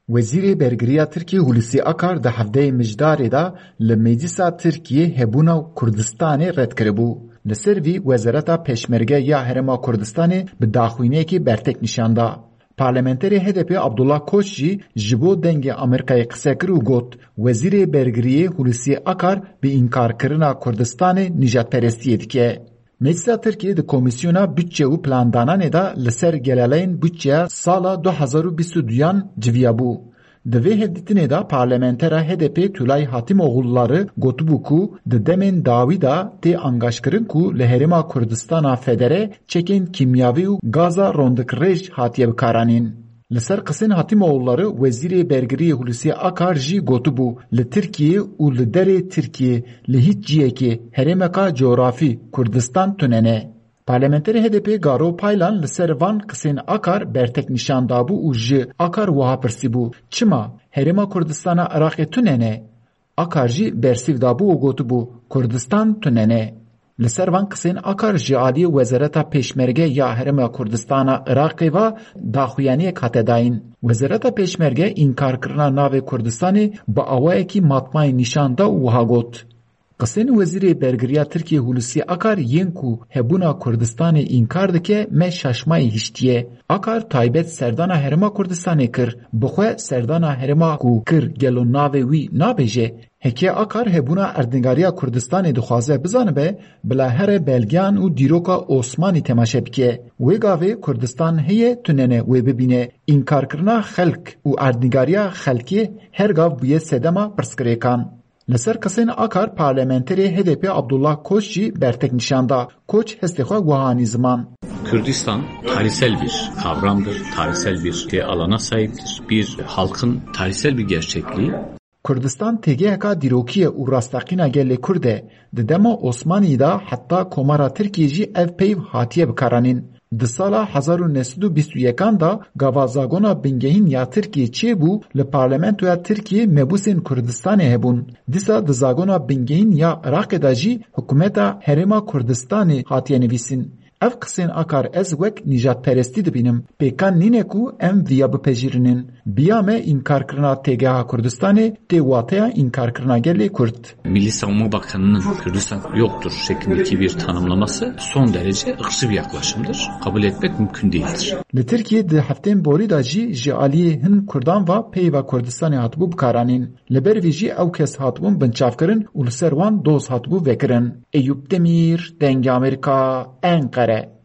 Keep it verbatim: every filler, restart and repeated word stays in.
Wezîrê Bergiriya Tirkiyê Hulusi Akar di hevdeyê Mijdarê de li Meclisa Tirkiyê hebûna Kurdistanê red kiribû. Li ser vî Wezareta Pêşmerge ya Herêma Kurdistanê bi daxuyaniyekê bertek nîşan da. Parlamenterê H D P Abdullah Koç jî ji bo Dengê Amerîkayê qise kir û got, Wezîrê Bergiriyê Hulusi Akar bi înkarkirina Kurdistanê nîjadperestiyê dike. Meclisa Tirkiyê di Komîsyona Budçe û Plandananê de li ser gelaleyên budçeya sala du hezar û bîst û duyan civiyabû. Di vê hevdîtinê de parlamentera H D P Tulay Hatîmoğulları gotibû ku di demên dawî de tê angaşkirin ku li Herêma Kurdistana Federe çekên kîmyavî û gaza rondikrêj hatiye bikaranîn. Li ser qisên Hatîmoğulları Wezîrê Bergiriyê Hulusi Akar jî gotibû, li Tirkiyê û li derê Tirkiyê li hîç ciyekê herêmeka cografî Kurdistan tune ne. Parlamenterê H D P Garo Paylan li ser van qisên Akar bertek nîşan dabû û ji Akar wiha pirsîbû, Çima herêma Kurdistana Iraqê tune ne? Akar jî bersîv dabû û gotibû, Kurdistan tune ne. Li ser van qisên Akar ji aliyê Wezareta Pêşmerge ya Herêma Kurdistana Iraqê ve daxuyaniyek hate dayîn. Wezareta Pêşmerge înkarkirina navê Kurdistanê bi awayekî matmayî nîşan da û wiha got, Qisên Wezîrê Bergiriya Tirkiyê Hulusi Akar yên ku hebûna Kurdistanê înkar dike me şaşmayî hiştiye. Akar taybet serdana Herêma Kurdistanê kir, bi xwe serdana herêma ku kir gelo navê wî nabêje? Heke Akar hebûna erdnîgariya Kurdistanê dixwaze bizanibe, bila here belgeyan û dîroka Osmanî temaşe bike. Wê gavê Kurdistan heye tunene wê bibîne. Înkarkirina xelk û erdnîgariya xelkê her gav bûye sedema pirsgirêkan. Li ser qisên Akar parlamenterê H D P Abdullah Koç jî bertek nîşan da. Koç hestê xwe wiha anî ziman. Kürdistan tarihsel bir kavramdır, tarihsel bir alana sahiptir. Bir halkın tarihsel bir gerçekliği. Kurdistan têgeheka dîrokî ye û rasteqîna gelê Kurd e. Di dema Osmanî de heta Komara Tirkiyê jî ev peyv hatiye bikaranîn. Di sala hezar û neh sed û bîst û yekan de gava zagona bingehîn ya Tirkiyê çêbû, li parlamentoya Tirkiyê mebûsên Kurdistanê hebûn. Dîsa di zagona bingehîn ya Iraqê de jî hikûmeta Herêma Kurdistanê hatiye nivîsîn. Ev qisên Akar ez wek nîjadperestî dibînim. Pêkan nîne ku em viya bipejirînin. Biya me înkarkirina têgeha Kurdistanê tê wateya înkarkirina gelê Kurd. Milli Savunma Bakanı'nın Kürdistan yoktur şeklindeki bir tanımlaması son derece ırkçı bir yaklaşımdır. Kabul etmek mümkün değildir. Li Tirkiyê di heftên borî de jî ji aliyê hin Kurdan ve peyva Kurdistanê hatibû bikaranîn. Li ber vê jî ew kes hatibûn binçavkirin û li ser wan doz hatibû vekirin. Eyûp Demîr, Dengê Amerîka, Enqere.